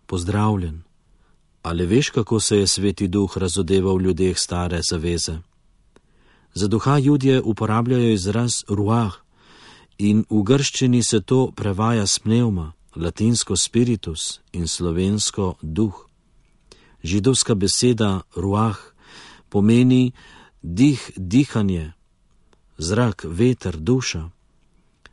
Pozdravljen. Ali veš, kako se je Sveti Duh razodeval v ljudeh stare zaveze? Za duha Judje uporabljajo izraz ruah in v grščini se to prevaja s pnevma, latinsko spiritus in slovensko duh. Židovska beseda ruah pomeni dih, dihanje, zrak, veter, duša.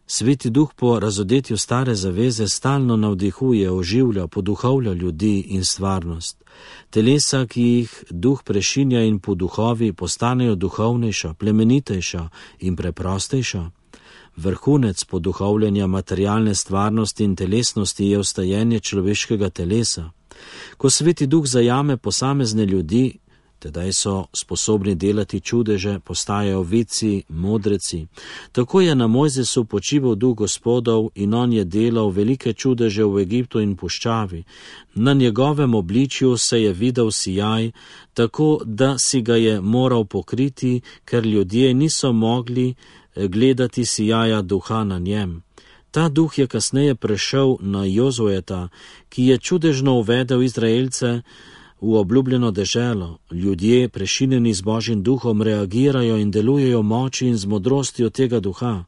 Sveti Duh po razodetju stare zaveze stalno navdihuje, oživlja, poduhovlja ljudi in stvarnost. Telesa, ki jih Duh prešinja in po duhovi, postanejo duhovnejša, plemenitejša in preprostejša. Vrhunec poduhovljanja materialne stvarnosti in telesnosti je vstajenje človeškega telesa. Ko Sveti Duh zajame posamezne ljudi, tedaj so sposobni delati čudeže, postajajo vici, modreci. Tako je na Mojzesu počival Duh Gospodov in on je delal velike čudeže v Egiptu in puščavi. Na njegovem obličju se je videl sijaj, tako da si ga je moral pokriti, ker ljudje niso mogli gledati sijaja duha na njem. Ta duh je kasneje prešel na Jozueta, ki je čudežno uvedel Izraelce v obljubljeno deželo. Ljudje, prešinjeni z Božjim duhom, reagirajo in delujejo moči in z modrostjo tega duha.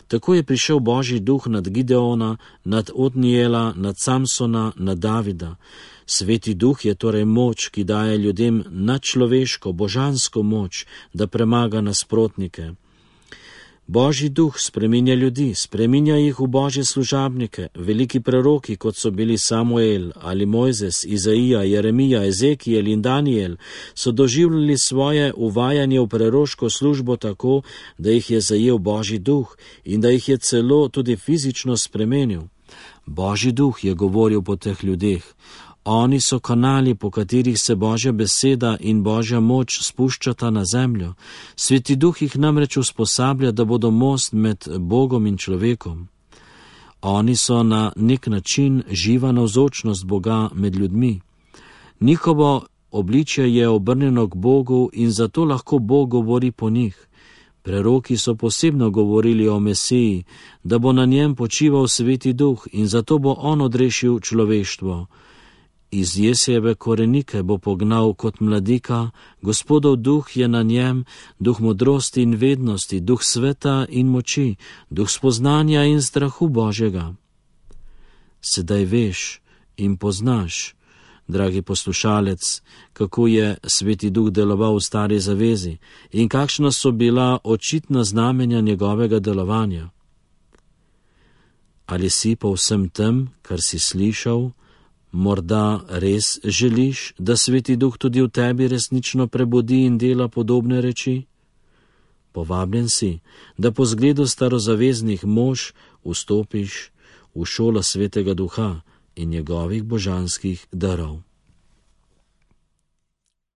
Tako je prišel Božji duh nad Gideona, nad Otnijela, nad Samsona, nad Davida. Sveti duh je torej moč, ki daje ljudem nadčloveško, božansko moč, da premaga nasprotnike. Božji duh spreminja ljudi, spreminja jih v Božje služabnike. Veliki preroki, kot so bili Samuel ali Mojzes, Izaija, Jeremija, Ezekijel in Danijel, so doživljali svoje uvajanje v preroško službo tako, da jih je zajel Božji duh in da jih je celo tudi fizično spremenil. Božji duh je govoril po teh ljudeh. Oni so kanali, po katerih se Božja beseda in Božja moč spuščata na zemljo. Sveti duh jih namreč usposablja, da bodo most med Bogom in človekom. Oni so na nek način živa navzočnost Boga med ljudmi. Njihovo obličje je obrnjeno k Bogu in zato lahko Bog govori po njih. Preroki so posebno govorili o Mesiji, da bo na njem počival Sveti duh in zato bo on odrešil človeštvo. Iz Jesejeve korenike bo pognal kot mladika, Gospodov duh je na njem, duh modrosti in vednosti, duh sveta in moči, duh spoznanja in strahu Božjega. Sedaj veš in poznaš, dragi poslušalec, kako je Sveti duh deloval v stari zavezi in kakšna so bila očitna znamenja njegovega delovanja. Ali si po vsem tem, kar si slišal, morda res želiš, da Sveti duh tudi v tebi resnično prebudi in dela podobne reči? Povabljen si, da po zgledu starozaveznih mož vstopiš v šolo Svetega duha in njegovih božanskih darov.